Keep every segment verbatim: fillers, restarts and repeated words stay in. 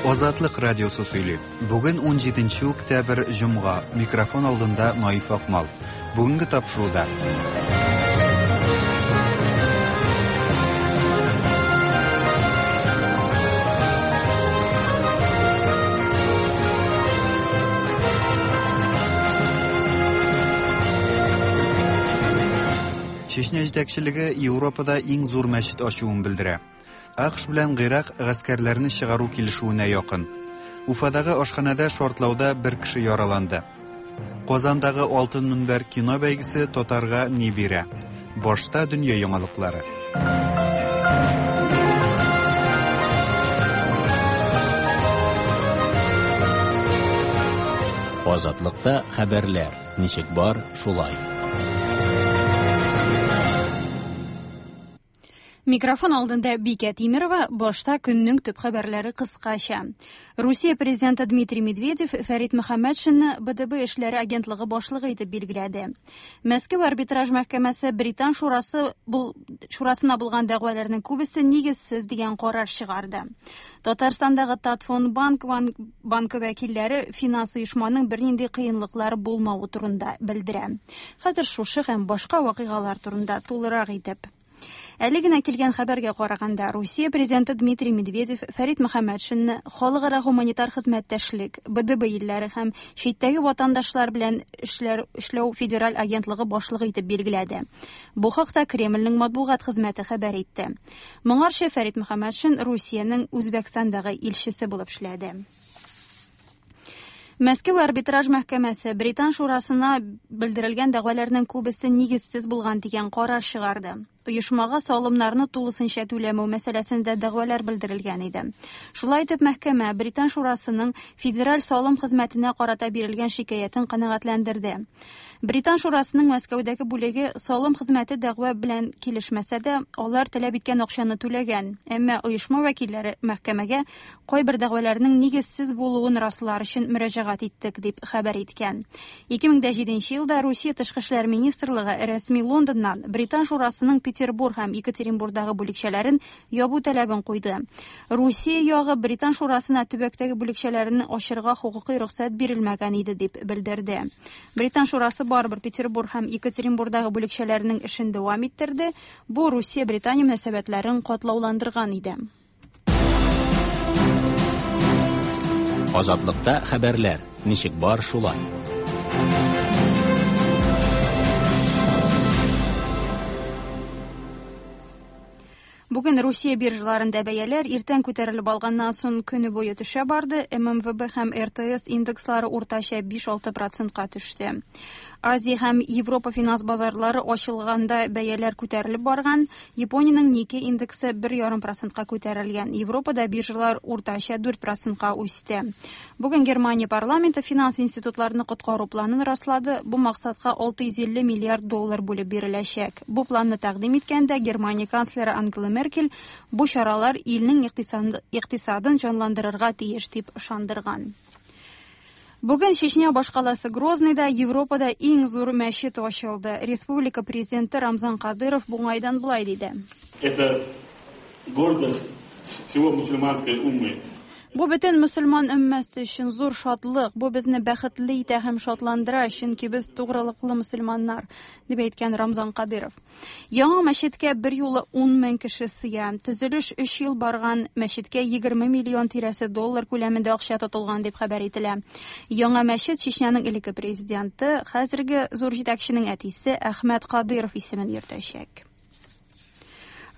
Азатлык радиосы сөйли. Бүген унҗиденче октябрь, җомга. Микрофон алдында Наиф Акмал. Бүгенге тапшыруда. Чечня җитәкчелеге Европада иң зур мәчет ачуын белдерә. АКШ белән Гыйрак гаскәрләрне чыгару килешүенә якын. Уфадагы ашханәдә шартлауда бер кеше яраланды. Казандагы Алтын мөнбәр кино бәйгесе татарга ни бирә? Башта дөнья яңалыклары. Азатлыкта хәбәрләр ничек бар, шулай. Микрофон алдында Бикә Тимирова, башта көннең төп хәбәрләре кыскача. Русия президенты Дмитрий Медведев Фәрит Мөхәммәтшинны Б Д Б эшләре агентлыгы башлыгы итеп билгеләде. Мәскәү арбитраж мәхкәмәсе Британ шурасы бул, шурасына булган дәгъваларның күбесе нигезсез дигән карар чыгарды. Татарстандагы Татфондбанк банкы вәкилләре финанс оешманың бернинди кыенлыклары булмавы турында белдерә. Хәзер шушы һәм башка вакыйгалар турында тулырак итеп. Әле генә килгән хәбәргә караганда, Русия президенты Дмитрий Медведев Фәрит Мөхәммәтшинны халыкара гуманитар хезмәттәшлек, Б Д Б илләре һәм читтәге ватандашлар белән эшләр, эшләү федераль агентлыгы башлыгы итеп билгеләде. Бу хакта Кремльнең матбугат хезмәте хәбәр итте. Моңарчы Фәрит Мөхәммәтшин Русиянең Үзбәкстандагы илчесе булып эшләде. Мәскәү арбитраж мәхкәмәсе Британ шурасына белдерелгән дәгъваларның күбесе нигезсез булган дигән карар чыгарды. Оешмага салымнарны тулысынча түләмәү мәсьәләсендә дәгъвалар белдерелгән иде. Шулай итеп, мәхкәмә Британ шурасының федераль салым хезмәтенә карата бирелгән шикаятен канәгатьләндерде. Британ шурасының Мәскәүдәге бүлеге салым хезмәте дәгъва белән килешмәсә дә, алар таләп иткән акчаны түләгән. Әмма оешма вәкилләре мәхкәмәгә кайбер дәгъваларның нигезсез булуын раслар өчен мөрәҗәгать иттек дип хәбәр иткән. ике мең дә җиденче елда Русия тышкы эшләр министрлыгы рәсми Лондоннан Британ шурасының Петербург һәм Екатеринбургдагы бүлекчәләрен ябу таләбен куйды. Русия ягы Британ шурасына төбәктәге бүлекчәләрен ачырга хокукый рөхсәт бирелмәгән иде дип белдерде. Британ шурасы барыбер Петербург һәм Екатеринбургдагы бүлекчәләренең эшен дәвам иттерде. Бу Русия-Британия мөнәсәбәтләрен катлауландырган иде. Азатлыкта хәбәрләр ничек бар, шулай. Бүген Русия биржаларында бәяләр иртән күтәрелеп алганнан соң көне буе төшә барды. М М В Б һәм Р Т С индекслары уртача биш-алты процентка төште. Азия һәм Европа финанс базарлары ачылганда бәяләр күтәрелеп барган. Япониянең Никкей индексы бер ярым процентка күтәрелгән. Европада биржалар уртача дүрт процентка үсте. Бүген Германия парламенты финанс институтларны коткару планын раслады. Бу максатка алты йөз илле миллиард доллар бүлеп биреләчәк. Бу планны тәкъдим иткәндә Германия канцлеры Ангела Меркель бу чаралар илнең икътисадын җанландырырга тиеш дип ышандырган. Бүген Чечня башкаласы Грозныйда Европада иң зур мәчет ачылды. Республика президенты Рамзан Кадыров бу уңайдан болай диде. Это гордость всего мусульманской уммы. Бу бөтен мөселман өммәсе өчен зур шатлык. Бу безне бәхетле итә һәм шатландыра, чөнки без тугрылыклы мөселманнар, дип әйткән Рамзан Кадыров. Яңа мәчеткә бер юлы ун мең кеше сыя. Төзелеш өч ел барган, мәчеткә егерме миллион тирәсе доллар күләмендә акча тотылган дип хәбәр ителә. Яңа мәчет Чечняның элекке президенты, хәзерге зур җитәкченең әтисе Әхмәт Кадыров исемен йөртәчәк.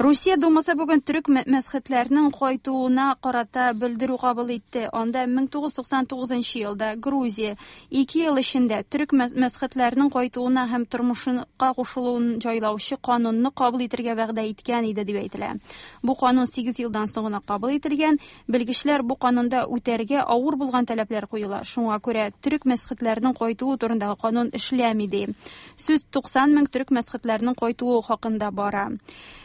Русия Думасы бүген төрек мәсхетләрнең кайтуына карата белдерү кабул итте. Анда мең тугыз йөз туксан тугызынчы елда Грузия ике ел эчендә төрек мәсхетләрнең кайтуына һәм тормышка кушылуын җайлаучы канунны кабул итәргә вәгъдә иткән иде дип әйтелә. Бу канун сигез елдан соң гына кабул ителгән. Белгечләр бу канунда үтәргә авыр булган таләпләр куела. Шуңа күрә төрек мәсхетләрнең кайтуы турындагы канун эшләми ди. Сүз туксан мең төрек мәсхетләрнең кайтуы хакында бара.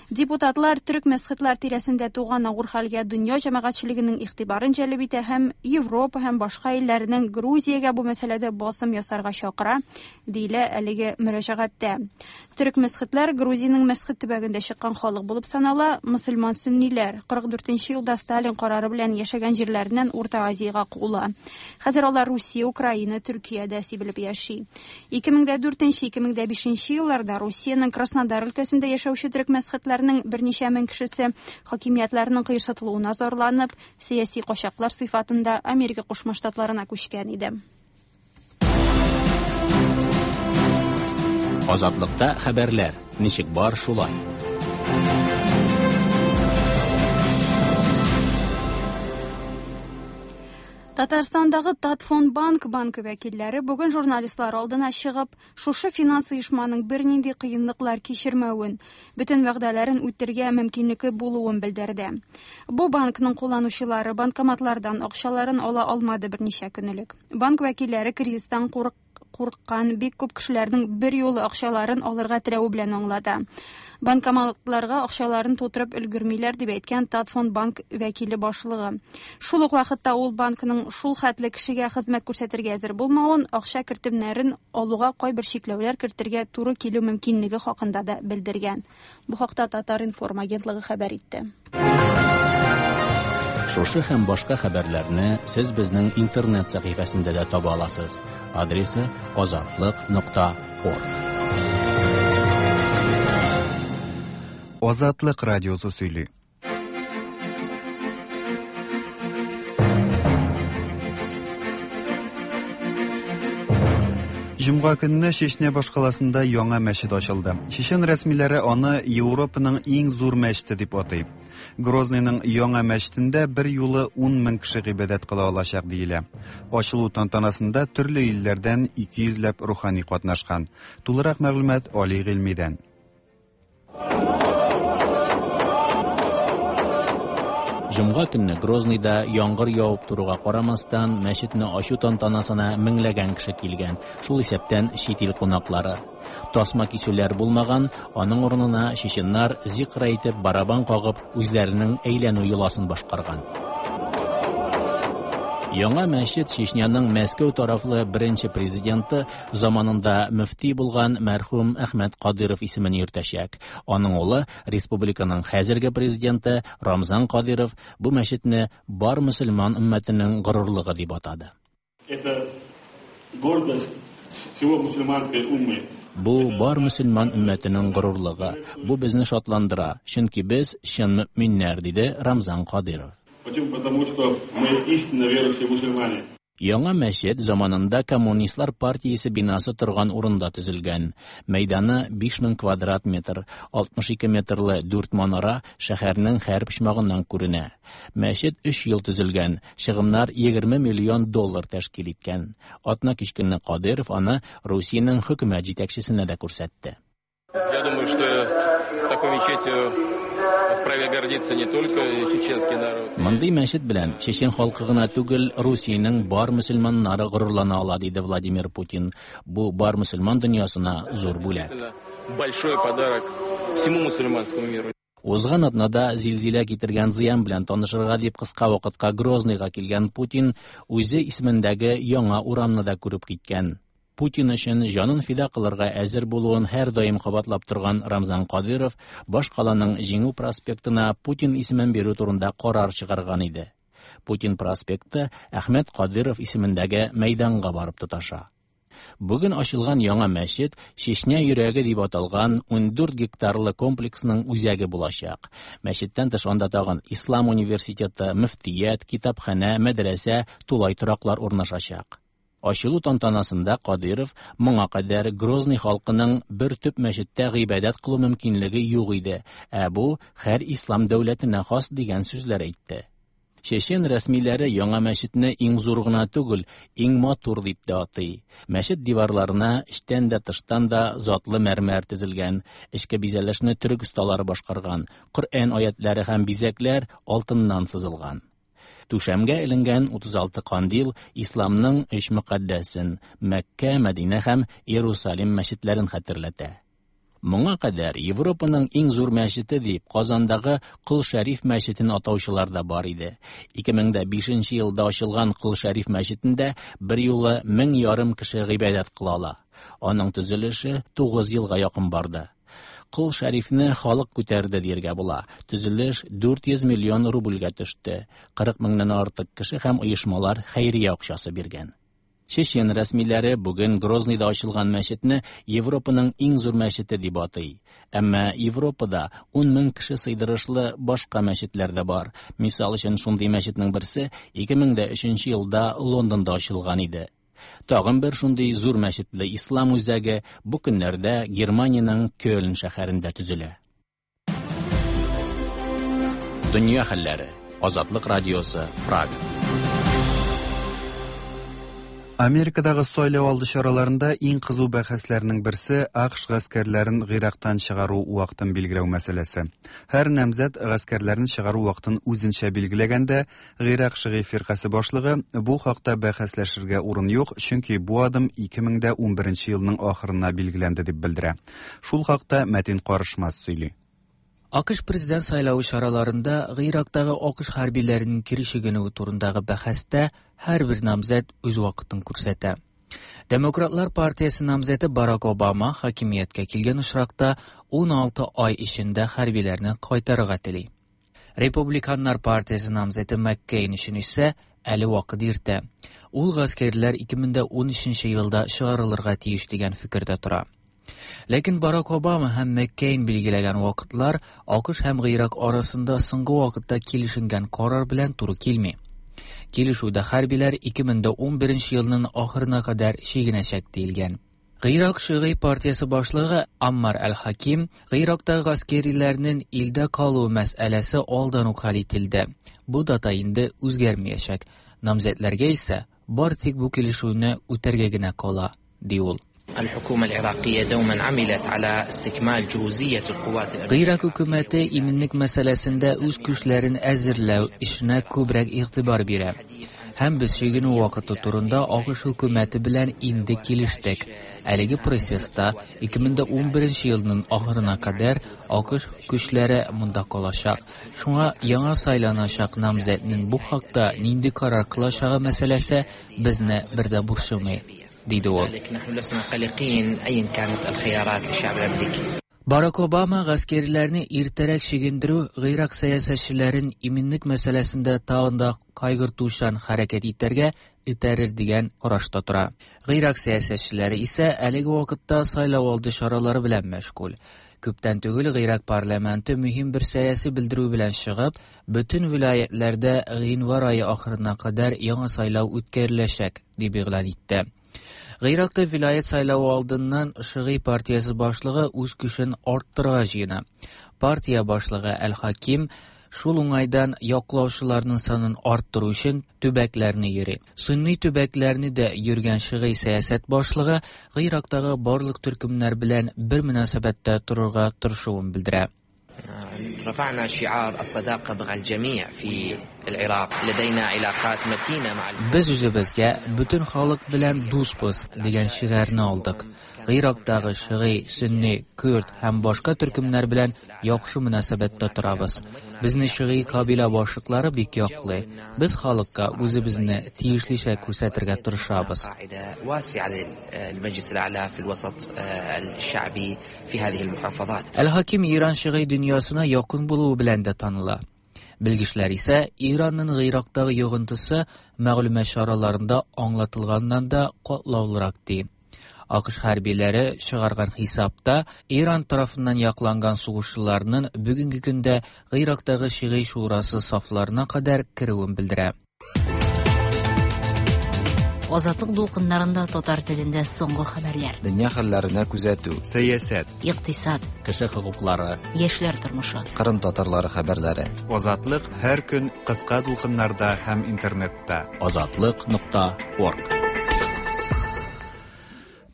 Депутат Депутатлар төрек мәсхетлар тирәсендә туган авыр хәлгә дөнья җәмәгатьчелегенең игътибарын җәлеп итә һәм Европа һәм башка илләрнең Грузиягә бу мәсьәләдә басым ясарга чакыра, диелә әлеге мөрәҗәгатьтә. Төрек мәсхетләр Грузиянең мәсхет төбәгендә чыккан халык булып санала, мөселман сөнниләр кырык дүртенче елда Сталин карары белән яшәгән җирләреннән Урта Азиягә куыла. Хәзер алар Русия, Украина, Төркиядә сибелеп яши. ике мең дә дүртенче, ике мең дә бишенче елларда Русиянең Краснодар өлкәсендә яшәүче төрек мәсхетләрнең берничә мең кешесе хакимиятләрнең кыерсытылуына зарланып, сәяси качаклар сыйфатында Америка Кушма Штатларына күчкән иде. Азатлыкта хәбәрләр ничек бар шулай. Татарстандагы Татфондбанк банкы вәкилләре бүген журналистлар алдына чыгып, шушы финанс оешманың бернинди кыенлыклар кичермәвен, бөтен вәгъдәләрен үтәргә мөмкинлеге булуын белдерде. Бу банкның кулланучылары банкоматлардан акчаларын ала алмады берничә көн элек. Банк вәкилләре кризистан курык курыккан бик күп кешеләрнең бер юлы акчаларын алырга теләве белән аңлата. Банкоматларга акчаларын тутырып өлгермиләр дип әйткән Татфондбанк вәкиле башлыгы. Шул ук вакытта ул банкның шул хәтле кешегә хезмәт күрсәтергә әзер булмавын, акча кертемнәрен алуга кайбер чикләүләр кертергә туры килү мөмкинлеге хакында да белдергән. Бу хакта Татар-информ агентлыгы хәбәр итте. Шушы һәм башка хәбәрләрне сез безнең интернет сәхифәсендә дә таба аласыз. Адресы азатлык нокта орг. Азатлык радиосы сөйли. Җомга көнне Чечня башкаласында яңа мәчет ачылды. Чечен рәсмиләре аны Европаның иң зур мәчете дип атый. Грозныйның яңа мәчетендә бер юлы ун мең кеше гыйбадәт кыла алачак диелә. Ачылу тантанасында төрле илләрдән ике йөзләп рухани катнашкан. Тулырак мәгълүмат Али Гыйльмидән. Җомга көнне Грозныйда яңгыр явып торуга карамастан, мәчетне ачу тантанасына меңләгән кеше килгән, шул исәптән чит ил кунаклары. Тасма кисүләр булмаган, аның урынына чеченнар зикр әйтеп, барабан кагып, үзләренең әйләнү йоласын башкарган. Яңа мәчет Чечняның Мәскәү тарафлы беренче президенты заманында мөфти булган мәрхүм Әхмәт Кадыров исемен йөртәчәк. Аның улы, республиканың хәзерге президенты Рамзан Кадыров бу мәчетне бар мөселман өммәтенең горурлыгы дип атады. Это гордость всего мусульманской уммы. Бу бар мөселман өммәтенең горурлыгы. Бу безне шатландыра, чөнки без чын мөминнәр, диде Рамзан Кадыров. Почему? Потому что мы истинно верующие мусульмане. Яңа мәчет заманында Коммунистлар партиясе бинасы торган урында төзелгән. Мәйданы биш мең квадрат метр, алтмыш ике метрлы дүрт манара шәһәрнең һәр почмагыннан күренә. Мәчет өч ел төзелгән, чыгымнар егерме миллион доллар тәшкил иткән. Атна кич көнне Кадыров аны Русиянең хөкүмәт җитәкчесенә дә күрсәтте. Я думаю, что такой мечетью вправе гордиться не только чеченский народ. Мондый мәчет белән чечен халкы гына түгел, Русиянең бар мөселманнары горурлана ала, диде Владимир Путин. Бу бар мөселман дөньясына зур бүләк. Большой подарок всему мусульманскому миру. Узган атнада зилзилә китергән зыян белән танышырга дип кыска вакытка Грозныйга килгән Путин үзе исемендәге яңа урамны да күреп киткән. Путин өчен җанын фида кылырга әзер булуын һәр даим кабатлап торган Рамзан Кадыров башкаланың Җиңү проспектына Путин исемен бирү турында карар чыгарган иде. Путин проспекты Әхмәт Кадыров исемендәге мәйданга барып тоташа. Бүген ачылган яңа мәчет Чечня йөрәге дип аталган ун дүрт гектарлы комплексның үзәге булачак. Мәчеттән тыш анда тагын Ислам университеты, мөфтият, китапханә, мәдрәсә, тулай тораклар урнашачак. Ачылу тантанасында Кадыров моңа кадәр Грозный халкының бер төп мәчеттә гыйбадәт кылу мөмкинлеге юк иде, ә бу һәр ислам дәүләтенә хас дигән сүзләр әйтте. Чечен рәсмиләре яңа мәчетне иң зур гына түгел, иң матур дип тә атый. Мәчет диварларына эчтән дә тыштан да затлы мәрмәр тезелгән, эчке бизәлешне төрек осталары башкарган, Коръән аятлары һәм бизәкләр алтыннан сызылган. Түшәмгә эленгән утыз алты кандил исламның өч мөкаддәсен Мәккә, Мәдинә һәм Иерусалим мәчетләрен хәтерләтә. Моңа кадәр Европаның иң зур мәчете дип Казандагы Кол Шәриф мәчетен атаучылар да бар иде. ике мең дә бишенче елда ачылган Кол Шәриф мәчетендә бер юлы мең ярым кеше гыйбадәт кыла ала. Аның төзелеше тугыз елга якын барды. Кол Шәрифне халык күтәрде дияргә була. Төзелеш дүрт йөз миллион рубльгә төште. Кырык меңнән артык кеше һәм оешмалар хәйрия акчасы биргән. Чечен рәсмиләре бүген Грозныйда ачылган мәчетне Европаның иң зур мәчете дип атый. Әмма Европада ун мең кеше сыйдырышлы башка мәчетләр дә бар. Мисал өчен, шундый мәчетнең берсе ике мең дә өченче елда Лондонда ачылган иде. Тагын бер шундый зур мәчетле ислам үзәге бу көннәрдә Германиянең Кёльн шәһәрендә төзелә. Дөнья хәлләре. Азатлык радиосы, Прага. Америкадагы сайлау алды чараларында иң кызу бәхәсләрнең берсе АКШ гаскәрләрен Гыйрактан чыгару вакытын билгеләү мәсьәләсе. Һәр намзәт гаскәрләрен чыгару вакытын үзенчә билгеләгәндә, Гыйрак шигый фиркасе башлыгы бу хакта бәхәсләшергә урын юк, чөнки бу адым ике мең дә унберенче елның ахырына билгеләнде дип белдерә. Шул хакта Мәтин Карышмас сөйли. АКШ президент сайлавы чараларында Гыйрактагы АКШ хәрбиләренең кире чигенүе турындагы бәхәстә һәрбер намзәт үз вакытын күрсәтә. Демократлар партиясе намзәте Барак Обама хакимияткә килгән очракта ун алты ай эчендә хәрбиләрне кайтарырга тели. Републиканнар партиясе намзәте Маккейн өчен исә әле вакыт иртә. Ул гаскәрләр ике мең дә ун өченче елда чыгарылырга тиеш дигән фикердә тора. Ләкин Барак Обама һәм Маккейн билгеләгән вакытлар АКШ һәм Гыйрак арасында соңгы вакытта килешенгән карар белән туры килми. Килешүдә хәрбиләр ике мең дә унберенче елның ахырына кадәр чигенәчәк диелгән. Гыйрак шигый партиясе башлыгы Аммар Әл-Хаким Гыйрактагы гаскәриләрнең илдә калуы мәсьәләсе алдан ук хәл ителде. Бу дата инде үзгәрмәячәк. Намзәтләргә исә бар тик бу килешүне үтәргә генә кала, ди ул. الحكومة العراقية دوما عملت على استكمال جهوزية القوات الأمنية. Гыйрак хөкүмәте иминлек мәсьәләсендә үз көчләрен әзерләү эшенә күбрәк игътибар бирә. Һәм без чигенү вакыты турында АКШ хөкүмәте белән инде килештек. Әлеге процесста ике мең дә унберенче елның ахырына кадәр АКШ көчләре монда калачак. Шуңа яңа сайланачак намзәтнең бу хакта нинди карар кылачагы мәсьәләсе безне бер дә борчымый, диде ул. نحن لسنا قلقين أيا كانت الخيارات للشعب الأمريكي. Барак Обама гаскәрләрне иртәрәк чигендерү Гыйрак сәясәтчеләрен иминлек мәсьәләсендә тагын да кайгыртучан хәрәкәт итәргә этәрер дигән карашта тора. Гыйрак сәясәтчеләре исә әлеге вакытта сайлау алды чаралары белән мәшгуль. Күптән түгел Гыйрак парламенты мөһим бер сәяси белдерү белән чыгып, бөтен вилаятләрдә гыйнвар ае ахырына кадәр яңа сайлау үткәреләчәк дип игълан итте. Гыйракта вилаят сайлавы алдыннан Шигый партиясе башлыгы үз көчен арттырырга җыена. Партия башлыгы Әл-Хаким шул уңайдан яклаучыларның санын арттыру өчен төбәкләрне йөри. Сунни төбәкләрне дә йөргән Шигый сәясәт башлыгы Гыйрактагы барлык төркемнәр белән бер мөнәсәбәттә торырга тырышуын белдерә. رفعنا شعار الصداقة مع الجميع في العراق. لدينا علاقات متينة مع ال- Без үзебезгә бөтен халык белән дусбыз дигән шигарны алдык. Гыйрактагы шигый, сөнни, көрд һәм башка төркемнәр белән яхшы мөнәсәбәттә торабыз. Безне шигый кабилә башлыклары бик яклый. Без халыкка үзебезне тиешлечә күрсәтергә тырышабыз. قاعدة واسعة للمجلس الأعلى في الوسط الشعبي في هذه المحافظات. Әл-Хаким Иран шигый дөньясына якын булуы белән дә таныла. Белгечләр исә Иранның Гыйрактагы йогынтысы мәгълүмат чараларында аңлатылганнан да катлаулырак ди. АКШ хәрбиләре чыгарган хисапта Иран тарафыннан якланган сугышчыларның бүгенге көндә Гыйрактагы шигый шурасы сафларына кадәр керүен белдерә. Азатлык дулкыннарында татар телендә соңгы хәбәрләр. Дөнья хәлләренә күзәтү. Сәясәт, Икътисад, кеше хокуклары, яшьләр тормышы. Кырым татарлары хәбәрләре. Азатлык һәр көн кыска дулкыннарда һәм интернетта. Азатлык нокта орг.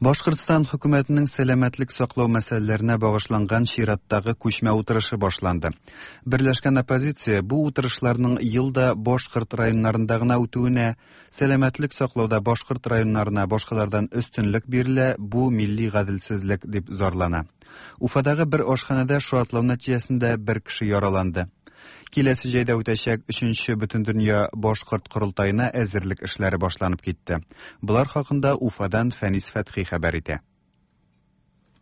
Башкортстан хөкүмәтенең сәламәтлек саклау мәсьәләләренә багышланган чираттагы күчмә утырышы башланды. Берләшкән оппозиция бу утырышларның елда башкорт районнарында гына үтүенә, сәламәтлек саклауда башкорт районнарына башкалардан өстенлек бирелә, бу милли гаделсезлек дип зарлана. Уфадагы бер ашханәдә шартлау нәтиҗәсендә бер кеше яраланды. Киләсе җәйдә үтәчәк өченче Бөтендөнья башкорт корылтаена әзерлек эшләре башланып китте. Болар хакында Уфадан Фәнис Фәтхи хәбәр итә.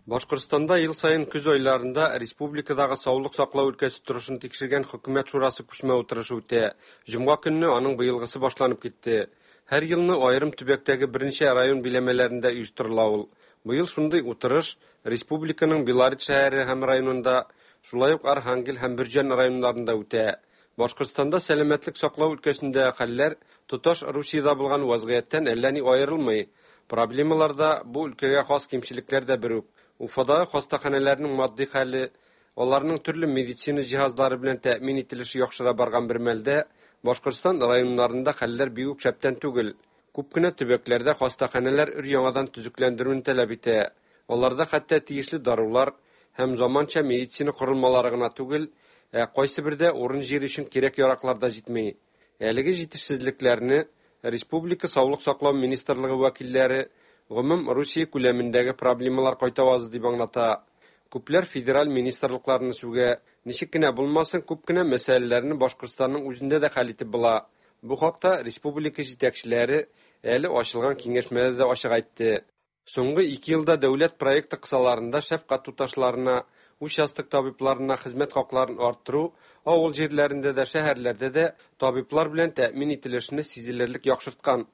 Башкортстанда ел саен көз айларында республикадагы саулык саклау өлкәсе торышын тикшергән хөкүмәт шурасы күчмә утырышы үтә. Җомга көнне аның быелгысы башланып китте. Һәр елны аерым төбәктәге берничә район биләмәләрендә оештырыла ул. Быел шундый утырыш республиканың Белорет шәһәре һәм районында, шулай ук Архангел һәм Бөрҗән районнарында үтә. Башкортстанда сәламәтлек саклау өлкәсендә хәлләр тоташ Русиядә булган вазгыятьтән әллә ни аерылмый. Проблемалар да, бу өлкәгә хас кимчелекләр дә бер үк. Уфадагы хастаханәләрнең матди хәле, аларның төрле медицина җиһазлары белән тәэмин ителеше яхшыра барган бер мәлдә, Башкортстан районнарында хәлләр бик үк шәптән түгел. Күп кенә төбәкләрдә хастаханәләр өр-яңадан төзекләндерүне таләп итә. Аларда хәтта тиешле дарулар һәм заманча медицина корылмалары гына түгел, ә кайсы бердә урын-җир өчен кирәк-яраклар да җитми. Әлеге җитешсезлекләрне Республика Саулык саклау министрлыгы вәкилләре гомум Русия күләмендәге проблемалар кайтавазы дип аңлата. Күпләр федераль министрлыкларны сүгә. Ничек кенә булмасын, күп кенә мәсьәләләрне Башкортстанның үзендә дә хәл итеп була. Бу хакта республика җитәкчеләре әле ачылган киңәшмәдә дә ачык әйтте. Соңгы ике елда дәүләт проекты кысаларында шәфкать туташларына, участок табибларына хезмәт хакларын арттыру, авыл җирләрендә дә, шәһәрләрдә дә табиблар белән тәэмин ителешне сизелерлек яхшырткан.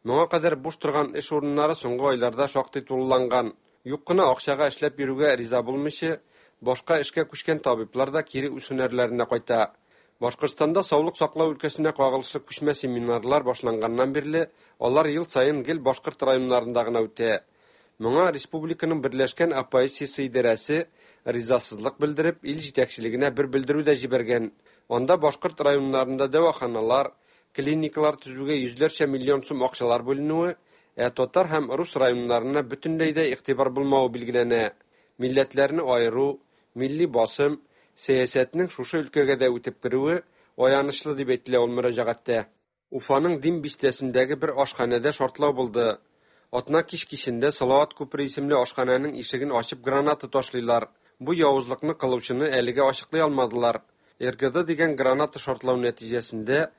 Моңа кадәр буш торган эш урыннары соңгы айларда шактый тулыланган. Юк кына акчага эшләп йөрүгә риза булмыйча, башка эшкә күчкән табиблар да кире үз һөнәрләренә кайта. Башкортстанда саулык саклау өлкәсенә кагылышлы күчмә семинарлар башланганнан бирле, алар ел саен гел башкорт районнарында гына үтә. Моңа республиканың Берләшкән оппозициясе идарәсе ризасызлык белдереп, ил җитәкчелегенә бер белдерү дә җибәргән. Анда башкорт районнарында дәваханалар, клиникалар төзүгә йөзләрчә миллион сум акчалар бүленүе, ә татар һәм рус районнарына бөтенләй дә игътибар булмавы билгеләнә. Милләтләрне аеру, милли басым, сәясәтнең шушы өлкәгә дә үтеп керүе аянычлы дип әйтелә ул мөрәҗәгатьтә. Уфаның Дим бистәсендәге бер ашханәдә шартлау булды. Атна кич кичендә Салават күпере исемле ашханәнең ишеген ачып граната ташлыйлар. Бу явызлыкны кылучыны әлегә ачыклый алмадылар. Р Г Д дигән граната шартлау нәтиҗәсендә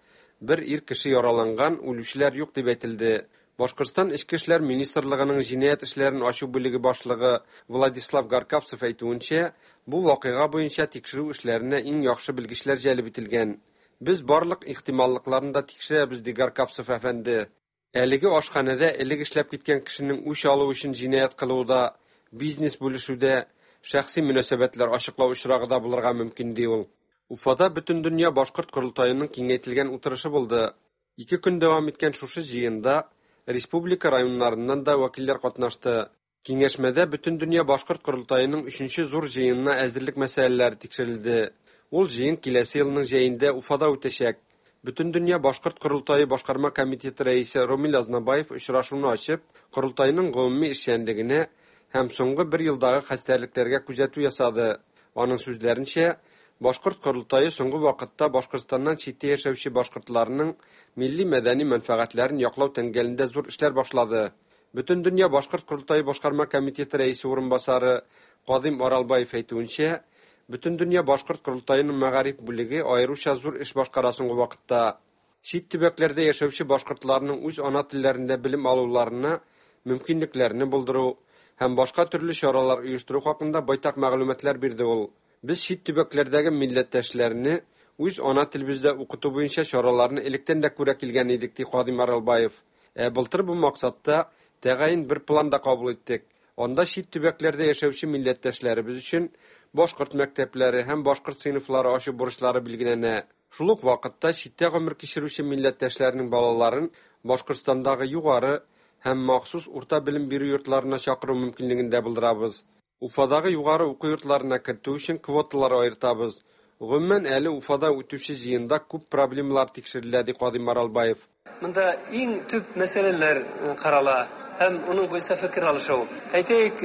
бер ир кеше яраланган, үлүчеләр юк дип әйтелде. Башкортстан Эчке эшләр министрлыгының җинаять эшләрен ачу бүлеге башлыгы Владислав Гаркавцев әйтүенчә, бу вакыйга буенча тикшерү эшләренә иң яхшы белгечләр җәлеп ителгән. Без барлык ихтималлыкларны да тикшерәбез, ди Гаркавцев әфәнде. Әлеге ашханәдә элек эшләп киткән кешенең үч алу өчен җинаять кылуында, бизнес бүлешүдә, шәхси мөнәсәбәтләр ачыклау очрагы да булырга мөмкин, ди ул. Уфада Бөтендөнья башкорт корылтаеның киңәйтелгән утырышы булды. Ике көн дәвам иткән шушы җыенда республика районнарыннан да вәкилләр катнашты. Киңәшмәдә Бөтендөнья башкорт корылтаеның өченче зур җыенына әзерлек мәсьәләләре тикшерелде. Ул җыен киләсе елның җәендә Уфада үтәчәк. Бөтендөнья башкорт корылтае башкарма комитеты рәисе Ромил Азнабаев очрашуны ачып, корылтайның гомуми эшчәнлегенә һәм соңгы бер елдагы хәстәрлекләргә күзәтү ясады. Аның сүзләренчә, башкорт корылтае соңгы вакытта Башкортстаннан читтә яшәүче башкортларның милли мәдәни мәнфәгатьләрен яклау тәңгәлендә зур эшләр башлады. Бөтендөнья башкорт корылтае башкарма комитеты рәисе урынбасары Кадим Аралбаев әйтүенчә, Бөтендөнья башкорт корылтаеның мәгариф бүлеге аеруча зур эш башкара соңгы вакытта. Чит төбәкләрдә яшәүче башкортларның үз ана телләрендә белем алуларына мөмкинлекләрне булдыру һәм башка төрле чаралар оештыру хакында байтак мәгълүматлар бирде ул. Без чит төбәкләрдәге милләттәшләрне үз ана телебездә укыту буенча чараларны электән дә күрә килгән идек, ди Кадим Аралбаев. Ә былтыр бу максатта тәгаен бер план да кабул иттек. Анда чит төбәкләрдә яшәүче милләттәшләребез өчен башкорт мәктәпләре һәм башкорт сыйныфлары ачу бурычлары билгеләнә. Шул ук вакытта читтә гомер кичерүче милләттәшләрнең балаларын Башкортстандагы югары һәм махсус урта белем бирү йортларына чакыру мөмкинлеген дә булдырабыз. Уфадагы югары уку йортларына кертү өчен квоталар аертабыз. Гомумән, әле Уфада үтүче җыенда күп проблемалар тикшерелә, ди Кадим Аралбаев. Монда иң төп мәсьәләләр карала һәм уның буенча фикер алышу. Әйтәйек,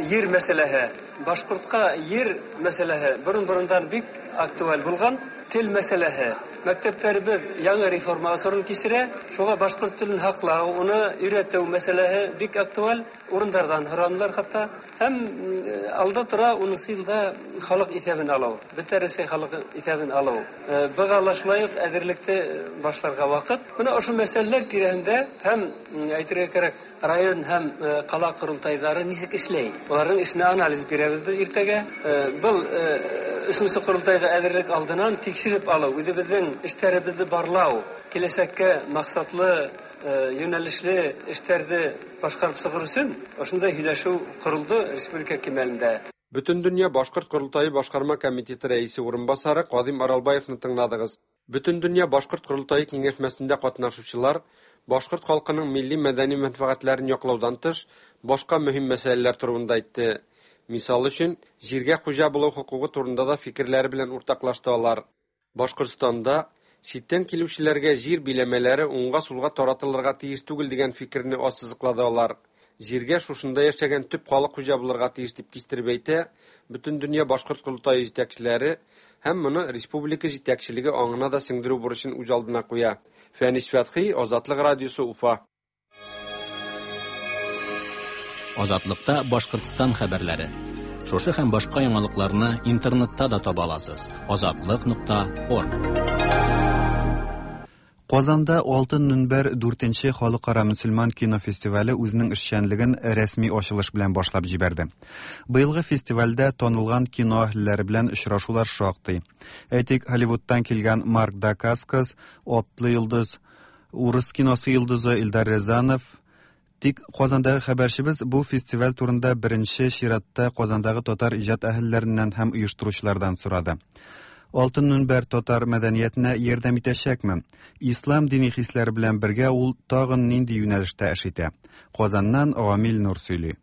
җир мәсьәләһе. Башкортка җир мәсьәләһе борын-борындан бик актуаль булган тел мәсьәләһе. Мәктәптәребеҙ яңы реформа осорон кисерә, шуға башҡорт телен һаҡлау, уны өйрәтеү мәсьәләһе бик актуаль. Урындарҙан һоранылар хатта. Һәм алда тора унынсы йылда халыҡ иҫәбен алыу, бөтә Рәсәй халыҡ иҫәбен алыу. Быға ла шулай уҡ әҙерлекте башларға ваҡыт. Бына ошо мәсьәләләр тирәһендә һәм әйтергә кәрәк, район һәм ҡала ҡоролтайҙары нисек эшләй? Уларҙың эшенә анализ бирәбеҙ беҙ иртәгә. Был өсөнсө ҡоролтайға әҙерлек алдынан тикшереп алыу, үҙебеҙҙең эштәребеҙҙе барлау, киләсәккә маҡсатлы, йүнәлешле эштәрҙе башҡарып сығыр өсөн ошондай һөйләшеү ҡоролдо республика кимәлендә. Бөтендөнья Башҡорт Ҡоролтайы башҡарма комитеты рәисе урынбаҫары Ҡаҙим Аралбаевны тыңланығыҙ. Бөтендөнья Башҡорт Ҡоролтайы киңәшмәсендә ҡатнашыусылар башҡорт халҡының милли мәҙәни мәнфәғәтләрен яҡлауҙан тыш башҡа мөһим мәсьәләләр турында әйтте. Мисал өсөн, ергә хужа булыу хоҡуғы турында да фикерләре белән уртаҡлашты алар. Башҡортостанда ситтән килеүселәргә ер биләмәләре уңға-сулға таратылырға тейеш түгел дигән фикерне аҫһыҙыҡлады алар. Ергә шушында йәшәгән төп халыҡ хужа булырға тейеш тип кистереп әйтә Бөтендөнья Башҡорт Ҡоролтайы етәкселәре һәм моны республика етәкселеге аңына да сеңдереү бурысын үҙ алдына ҡуя. Фәнис Фәтхи, Азатлыҡ радиосы, Уфа. Азатлыкта Башҡортостан хәбәрләре. Шушы һәм башҡа яңалыҡларны интернетта да таба аласыз. азатлык нокта орг. Казанда Алтын Мөнбәр дүртенче халыкара мөселман кино фестивале үзенең эшчәнлеген рәсми ачылыш белән башлап җибәрде. Быелгы фестивальдә танылган кино әһелләре белән очрашулар шактый. Әйтик, Голливудтан килгән Марк Дакаскас, Атлы йолдыз, урыс киносы йолдызы Илдар Рязанов. Тик Казандагы хәбәрчебез бу фестиваль турында беренче чиратта Казандагы татар иҗат әһелләреннән һәм оештыручылардан сорады. Алтын Мөнбәр татар мәдәниятенә ярдәм итәчәкме? Ислам дини хисләре белән бергә ул тагын нинди юнәлештә эш итә? Казаннан Гамил Нур сөйли.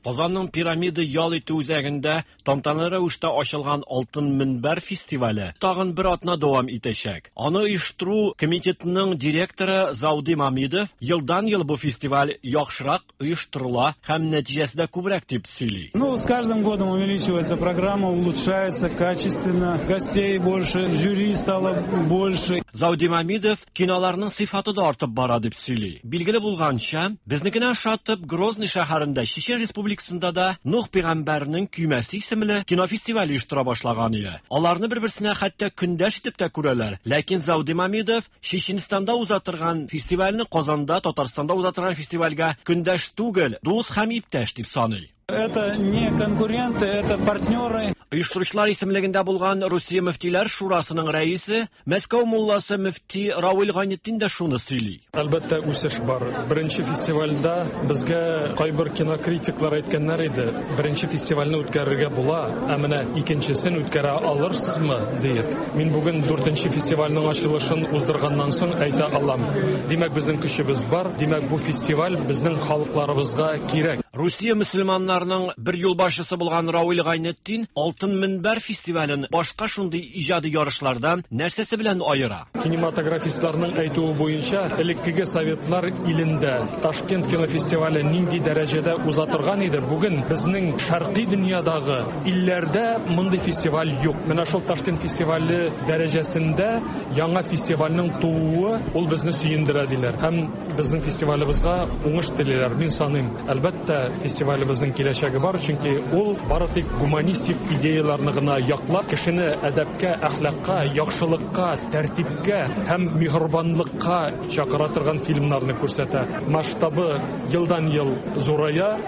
Казанның пирамида ял итү үзәгендә тантаналы рәвештә ачылган Алтын Мөнбәр фестивале тагын бер атна дәвам итәчәк. Аны оештыру комитетының директоры Зауди Мамидов елдан-ел бу фестиваль яхшырак оештырыла һәм нәтиҗәсе дә күбрәк дип сөйли. Ну, с каждым годом увеличивается программа, улучшается качественно, гостей больше, жюри стало больше. Зауди Мамидов киноларның сыйфаты да артып бара дип сөйли. Билгеле булганча, безнекенә ошатып Грозный шәһәрендә Чечен Республикасында да Нух пәйгамбәрнең көймәсе исемле кинофестиваль оештыра башлаган иде. Аларны бер-берсенә хәтта көндәш итеп тә күрәләр. Ләкин Зауди Мамидов Чеченстанда уза торган фестивальне Казанда, Татарстанда уза торган фестивальгә көндәш түгел, дус һәм иптәш дип саный. Это не конкуренты, это партнеры. Оештыручылар исемлегендә булган Русия мөфтиләр шурасының рәисе, Мәскәү мулласы мөфти Равил Гайнетдин дә шуны сөйли. Әлбәттә, үсеш бар. Беренче фестивальдә безгә кайбер кинокритиклар әйткәннәр иде, беренче фестивальне үткәрергә була, ә менә икенчесен үткәрә алырсызмы диеп. Мин бүген дүртенче фестивальнең ачылышын уздырганнан соң әйтә алам. Димәк, безнең көчебез бар, димәк, бу фестиваль безнең халыкларыбызга кирәк. Русия мөселманнарының бер юлбашчысы булган Равил Гайнетдин Алтын Мөнбәр фестивален башка шундый иҗади ярышлардан нәрсәсе белән аера? Кинематографистларның әйтүе буенча, элеккеге советлар илендә Ташкент кинофестивале нинди дәрәҗәдә уза торган иде, бүген безнең шәркый дөньядагы илләрдә мондый фестиваль юк. Менә шул Ташкент фестивале дәрәҗәсендә яңа фестивальнең тууы ул безне сөендерә диләр. Һәм безнең фестивалебезгә уңыш телиләр. Мин саныйм, әлбәттә, фестивалебезнең киләчәге бар, чөнки ул бары тик гуманистик идеяларны гына яклап, кешене әдәпкә, әхлакка, яхшылыкка, тәртипкә һәм миһербанлыкка чакыра торган фильмнарны күрсәтә. Масштабы елдан-ел зурая.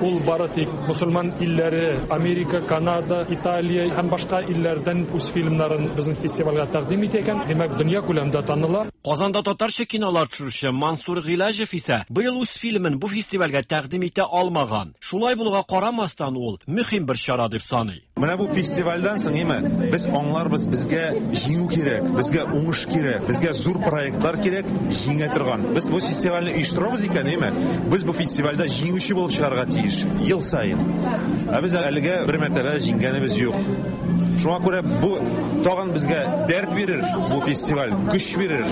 Ул бары тик мөселман илләре, Америка, Канада, Италия һәм башка илләрдән үз фильмнарын безнең фестивальгә тәкъдим итә икән, димәк, дөнья күләмендә таныла. Казанда татарча кинолар төшерүче Мансур Гыйләҗев исә быел үз фильмын бу фестивальгә тәкъдим итә алмаган. Шулай булуга карамастан ул мөһим бер чара дип саный. Менә бу фестивальдән соң име, без аңларбыз, безгә җиңү кирәк, безгә уңыш кирәк, безгә зур проектлар кирәк, җиңә торган. Без бу фестивальне оештырабыз икән, име, без бу фестивальдә җиңүче булып чыгарга тиеш ел саен. Ә без әлегә бер мәртәбә җиңгәнебез юк. Шуңа күрә бу тагын безгә дәрт бирер, бу фестиваль көч бирер.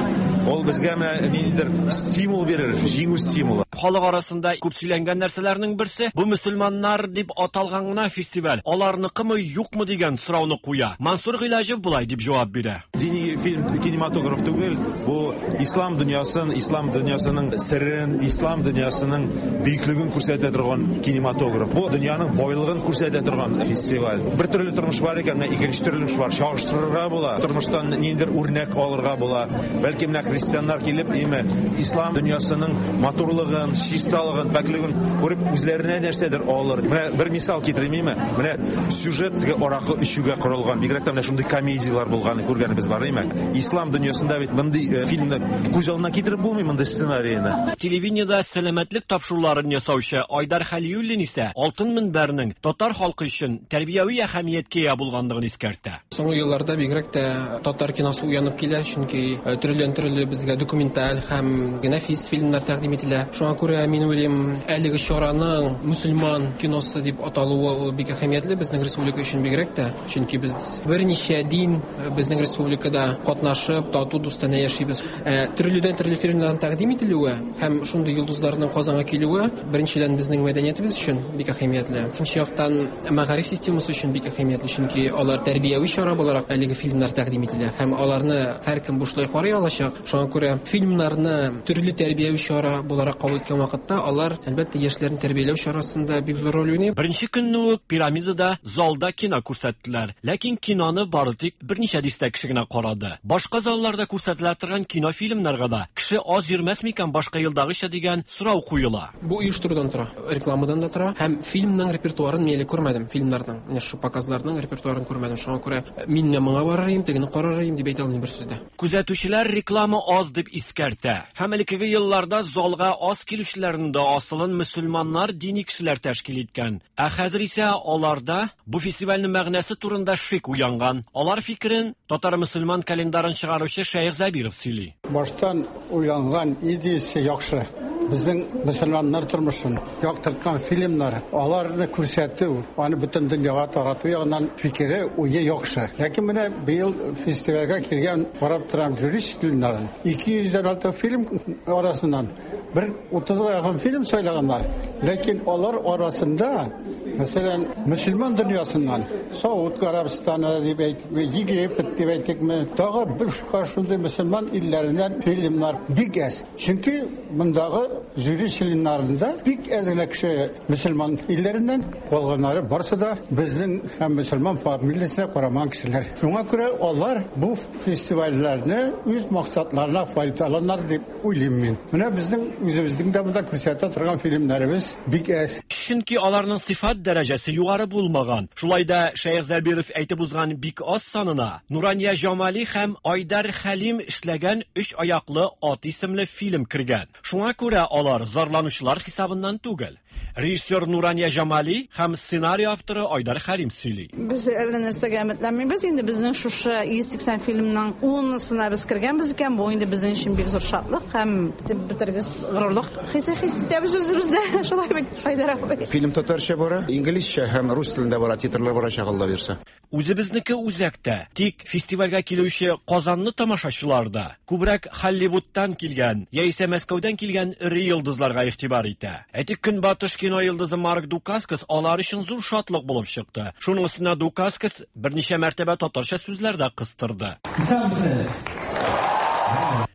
Ул безгә менә ниндидер стимул бирер, җиңү стимулы. Халык арасында күп сөйләнгән нәрсәләрнең берсе бу мөселманнар дип аталган гына фестиваль. Аларныкымы, юкмы дигән сорауны куя. Мансур Гыйлаҗев болай дип җавап бирә. Дини фильм кинематограф түгел, бу ислам дөньясын, ислам дөньясының серен, ислам дөньясының бөеклеген күрсәтә торган кинематограф. Бу дөньяның байлыгын күрсәтә торган фестиваль. Бер төрле тормыш бар икән, менә икенче төрле тормыш бар. Чагыштырырга була. Тормыштан ниндидер үрнәк алырга була. Бәлки менә христианнар килеп, име, ислам дөньясының матурлыгын, чисталыгын, пакьлеген күреп үзләренә нәрсәдер алыр. Менә бер мисал китерим, име? Менә сюжет теге аракы эчүгә корылган. Бигрәк тә менә шундый комедияләр булганын күргәнебез бар, име? Ислам дөньясында бит мондый фильмны күз алдына китереп булмый, мондый сценарийны. Телевидениедә сәламәтлек тапшыруларын ясаучы Айдар Хәлиуллин исә Алтын мөнбәрнең татар халкы өчен тәрбияви әһәмияткә ия булганлыгын искәртә. Соңгы елларда бигрәк тә татар киносы уянып килә, чөнки төрледән-төрле безгә документаль һәм нәфис фильмнар тәкъдим ителә. Шуңа күрә мин уйлыйм, әлеге чараның мөселман киносы дип аталуы ул бик әһәмиятле безнең республика өчен бигрәк тә, чөнки без берничә дин безнең республикада катнашып, тату дустанә яшибез. Төрледән-төрле фильмнарның тәкъдим ителүе һәм шундый йолдызларның Казанга килүе беренчедән безнең мәдәниятебез өчен бик әһәмиятле. Икенче яктан мәгариф системасы өчен бик әһәмиятле, чөнки алар тәрбияви чара буларак әлеге фильмнар тәкъдим ителә һәм аларны һәркем бушлай карый алачак. Шуңа күрә фильмнарны төрле тәрбияви чара буларак кабул иткән вакытта алар әлбәттә яшьләрне тәрбияләү чарасында бик зур роль уйный. Беренче көнне үк Пирамидада залда кино күрсәттеләр. Ләкин киноны бары тик берничә дистә кеше генә карады. Башка залларда күрсәтелә торган кинофильмнарга да кеше аз йөрмәс микән башка елдагыча дигән сорау куела. Бу оештырудан тора, рекламадан да тора һәм фильмның репертуарын мин әле күрмәдем, фильмнарның, менә шу показларның репертуарын күрмәдем. Шуңа күрә мин менә моңа барыр идем, тегене карар идем дип әйтә алмыйм бер сүздә. Күзәтүчеләр реклама аз дип искәртә. Һәм элеккеге елларда залга аз килүчеләрнең дә асылын мөселманнар, дини кешеләр тәшкил иткән. Ә хәзер исә аларда бу фестивальнең мәгънәсе турында шик уянган. Алар фикерен татар мөселман календарын чыгаручы Шәех Зәбиров сөйли. Баштан уйланган идеясы яхшы. Безнең мөселманнар тормышын яктырткан фильмнар, аларны күрсәтү, аны бөтен дөньяга тарату ягыннан фикере, уе яхшы. Ләкин менә быел фестивальгә килгән карап торам жюри членнарын. ике йөздән артык фильм арасыннан бер утызга якын фильм сайлаганнар. Ләкин алар арасында, мәсәлән, мөселман дөньясыннан Сауд Гарәбстаны дип әйтикме, Египет дип әйтикме, тагы бер шундый мөселман илләреннән фильмнар бик әз. Чөнки мондагы жюри членнарында бик әз генә кеше мөселман илләреннән, калганнары барсы да безнең һәм мөселман фамилиясенә карамаган кешеләр. Шуңа күрә алар бу фестивальләрне үз максатларына файдаланар дип уйлыйм мин. Менә безнең үзебезнең дә монда күрсәтә торган фильмнарыбыз бик әз. Чөнки аларның сыйфат дәрәҗәсе югары булмаган. Шулай да Шәех Зәбиров әйтеп узган бик аз санына Нурания Җамали һәм Айдар Хәлим эшләгән Өч аяклы ат исемле фильм кергән. Шуңа күрә алар зарланучылар хисабыннан түгел. Режиссер Нурания Җамали һәм сценарий авторы Айдар Хәлим сөйли. Без әллә нәрсәгә өметләнмибез. Инде безнең шушы йөз сиксән фильмның унысына без кергәнбез икән, бу инде безнең өчен бик зур шатлык һәм бетергез горурлык хисе хис итәбез үзебездә. Шулай бит, Айдар абый. Фильм татарча бара, инглизчә һәм рус телендә бара, титрлар барачак, Алла бирсә. Үзебезнеке үзәктә. Тик фестивальгә килүче Казанлы тамашачылар да күбрәк Холливудтан килгән яисә Мәскәүдән килгән эре йолдызларга игътибар итә. Әйтик, Көнбатыш кино йолдызы Марк Дукаскас алар өчен зур шатлык булып чыкты. Шуның өстенә Дукаскас берничә мәртәбә татарча сүзләр дә кыстырды. Исәнмесез.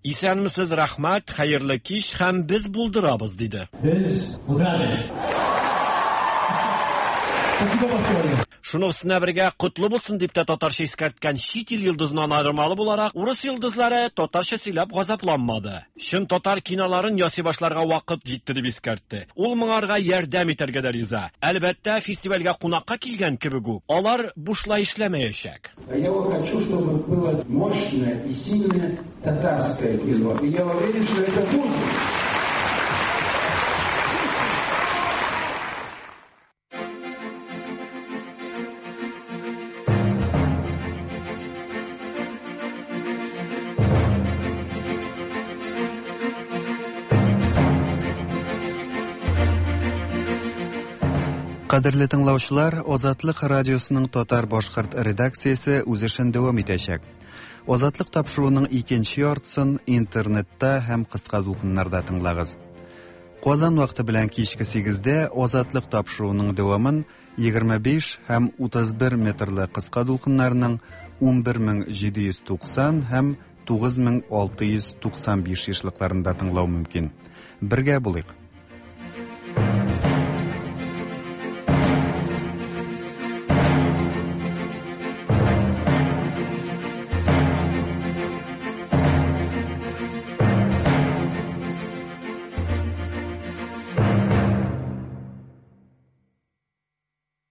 Исәнмесез, рәхмәт, хәерле кич һәм без булдырабыз, диде. Без булдырабыз. Шуның өстенә бергә котлы булсын дип тә татарча искәрткән чит ил йолдызыннан аермалы буларак, урыс йолдызлары татарча сөйләп газапланмады. Чын татар киноларын ясый башларга вакыт җитте дип искәртте. Ул моңарга ярдәм итәргә дә риза. Әлбәттә, фестивальгә кунакка килгән кебек үк, алар бушлай эшләмәячәк. Я хочу, чтобы было мощное и сильное татарское кино. И я уверен, что это будет. Кадерле тыңлаучылар, Азатлык радиосының татар-башкорт редакциясе үз эшен дәвам итәчәк. Азатлык тапшыруының икенче яртысын интернетта һәм кыска дулкыннарда тыңлагыз. Казан вакыты белән кичке сигездә Азатлык тапшыруының дәвамын егерме биш һәм утыз бер метрлы кыска дулкыннарының ун бер мең җиде йөз туксан һәм тугыз мең алты йөз туксан биш ешлыкларында тыңлау мөмкин. Бергә булыйк.